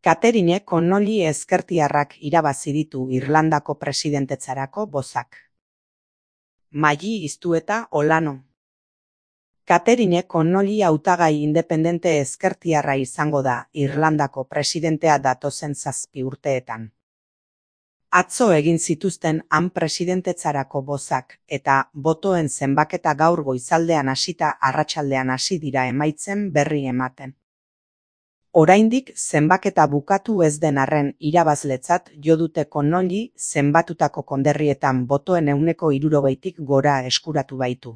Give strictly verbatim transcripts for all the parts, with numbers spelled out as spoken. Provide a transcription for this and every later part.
Catherine Connolly ezkertiarrak irabazi ditu Irlandako presidentetzarako bozak. Maggie Iztueta Olano. Catherine Connolly hautagai independente ezkertiarra izango da Irlandako presidentea datozen zazpi urteetan. Atzo egin zituzten han presidentetzarako bozak eta botoen zenbaketa gaur goizaldean hasita arratsaldean hasi dira emaitzen berri ematen. Oraindik zenbaketa bukatu ez den arren irabazletzat jo dute Connolly zenbatutako konderrietan botoen ehuneko hirurogeitik gora eskuratu baitu.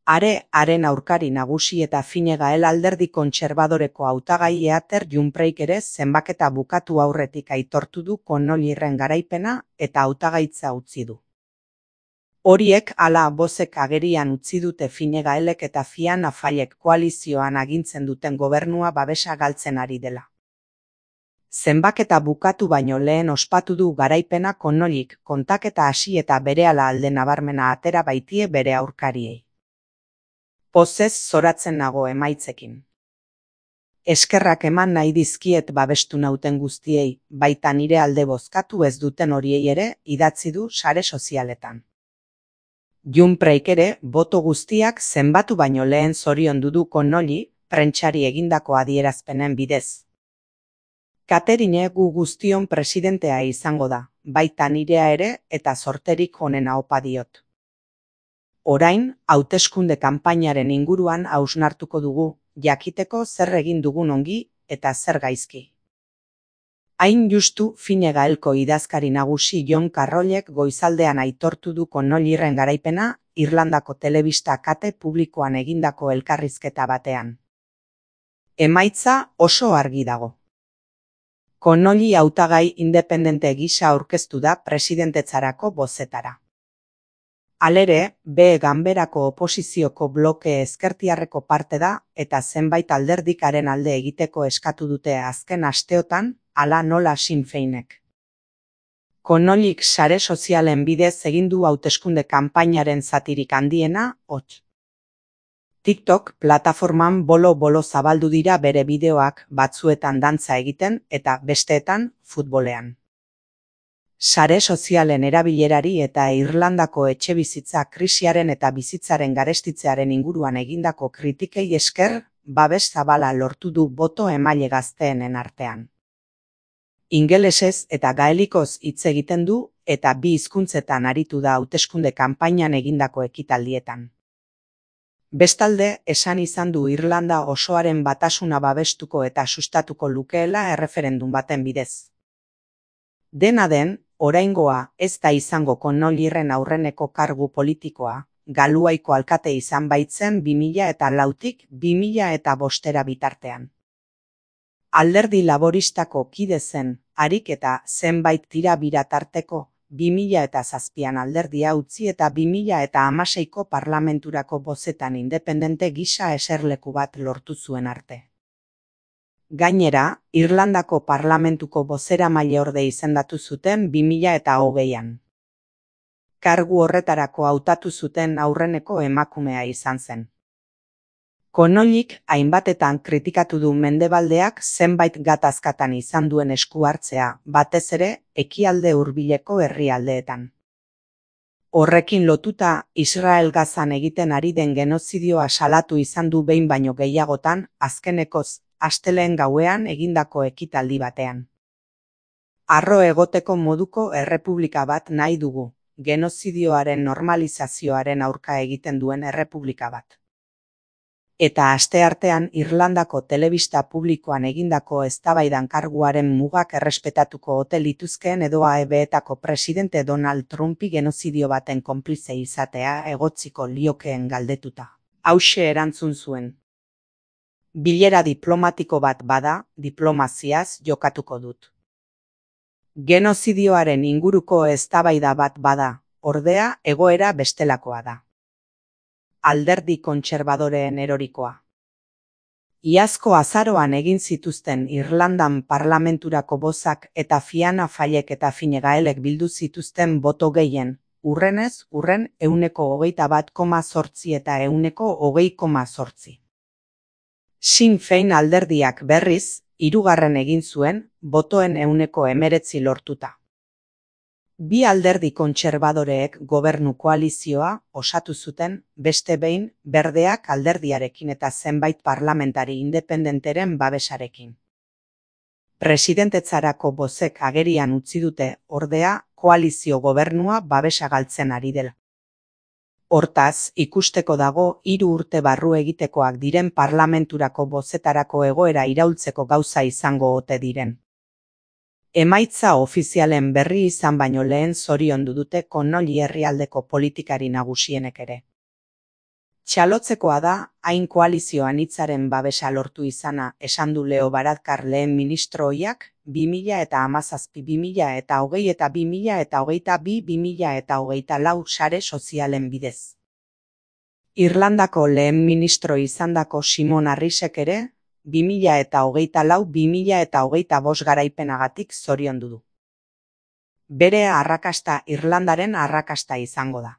Are, haren aurkari nagusi eta Fine Gael alderdi kontserbadoreko hautagai Heather Jumpreik ere zenbaketa bukatu aurretik aitortu du Connollyren garaipena eta hautagaitza utzi du. Horiek hala bozek agerian utzi dute Fine Gaelek eta Fianna Fáilek koalizioan agintzen duten gobernua babesa galtzen ari dela. Zenbaketa bukatu baino lehen ospatu du garaipena Connollyk kontaketa hasi eta berehala alde nabarmena atera baitie bere aurkariei. Pozez zoratzen nago emaitzekin. Eskerrak eman nahi dizkiet babestu nauten guztiei, baita nire alde bozkatu ez duten horiei ere idatzi du sare sozialetan. Jumpreik ere boto guztiak zenbatu baino lehen zoriondu du Connolly prentsari egindako adierazpenen bidez. Catherine gu guztion presidentea izango da, baita nirea ere eta zorterik onena opa diot. Orain, hauteskunde kanpainaren inguruan hausnartuko dugu, jakiteko zer egin dugun ongi eta zer gaizki. Hain justu Fine Gaelko idazkari nagusi John Carrollek goizaldean aitortu du Connollyren garaipena Irlandako telebista kate publikoan egindako elkarrizketa batean. Emaitza oso argi dago. Connolly hautagai independente gisa aurkeztu da presidentetzarako bozetara. Halere, B ganberako oposizioko bloke ezkertiarreko parte da eta zenbait alderdikaren alde egiteko eskatu dute azken asteotan, hala nola Sinn Féinek. Connollyk sare sozialen bidez egin du hauteskunde kanpainaren zatirik handiena, hots. TikTok plataforman bolo-bolo zabaldu dira bere bideoak batzuetan dantza egiten eta besteetan futbolean. Sare sozialen erabilerari eta Irlandako etxebizitza krisiaren eta bizitzaren garestitzearen inguruan egindako kritikei esker, babes zabala lortu du boto emaile gazteenen artean. Ingelesez eta gaelikoz hitz egiten du eta bi hizkuntzetan aritu da hauteskunde kanpainan egindako ekitaldietan. Bestalde, esan izan du Irlanda osoaren batasuna babestuko eta sustatuko lukeela erreferendum baten bidez. Dena den, oraingoa ez da izango Connollyren aurreneko kargu politikoa, Galuaiko alkate izan baitzen bi mila eta lautik bi mila eta bostera bitartean. Alderdi laboristako kide zen, harik eta zenbait tira bira tarteko, bi mila eta zazpian alderdia utzi eta bi mila eta hamaseiko parlamenturako bozetan independente gisa eserleku bat lortu zuen arte. Gainera, Irlandako parlamentuko bozeramaileorde izendatu zuten bi mila eta hogeian. Kargu horretarako hautatu zuten aurreneko emakumea izan zen. Connollyk hainbatetan kritikatu du Mendebaldeak zenbait gatazkatan izan duen esku hartzea, batez ere ekialde hurbileko herrialdeetan. Horrekin lotuta, Israel Gazan egiten ari den genozidioa salatu izan du behin baino gehiagotan, azkenekoz, astelehen gauean egindako ekitaldi batean. Harro egoteko moduko errepublika bat nahi dugu, genozidioaren normalizazioaren aurka egiten duen errepublika bat. Eta asteartean Irlandako telebista publikoan egindako eztabaidan karguaren mugak errespetatuko ote lituzkeen edo A E B-etako presidente Donald Trumpi genozidio baten konplize izatea egotziko liokeen galdetuta. Hauxe erantzun zuen. Bilera diplomatiko bat bada, diplomaziaz jokatuko dut. Genozidioaren inguruko eztabaida bat bada, ordea egoera bestelakoa da. Alderdi kontserbadoreen erorikoa. Iazko azaroan egin zituzten Irlandan parlamenturako bozak eta Fianna Fáilek eta Fine Gaelek bildu zituzten boto gehien, urrenez urren ehuneko hogeita bat koma zortzi eta ehuneko hogei koma zortzi. Sinn Féin alderdiak berriz, hirugarren egin zuen, botoen ehuneko hemeretzi lortuta. Bi alderdi kontserbadoreek gobernu koalizioa osatu zuten, beste behin, berdeak alderdiarekin eta zenbait parlamentari independenteren babesarekin. Presidentetzarako bozek agerian utzi dute, ordea, koalizio gobernua babesa galtzen ari dela. Hortaz, ikusteko dago hiru urte barru egitekoak diren parlamenturako bozetarako egoera iraultzeko gauza izango ote diren. Emaitza ofizialen berri izan baino lehen zoriondu dute Connolly herrialdeko politikari nagusienek ere. Txalotzekoa da, hain koalizio anitzaren babesa lortu izana, esan du Leo Varadkar lehen ministro ohiak, bi mila eta hamazazpi bi mila eta hogei eta bi mila eta hogeita bi bi mila eta hogeita lau sare sozialen bidez. Irlandako lehen ministro izandako Simon Harrisek ere, bi mila eta hogeita lau bi mila eta hogeita bost garaipenagatik zoriondu du. Bere arrakasta Irlandaren arrakasta izango da.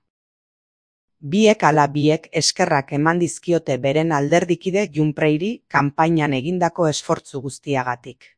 Biek ala biek eskerrak eman dizkiote beren alderdikide Jumpreiri kanpainan egindako esfortzu guztiagatik.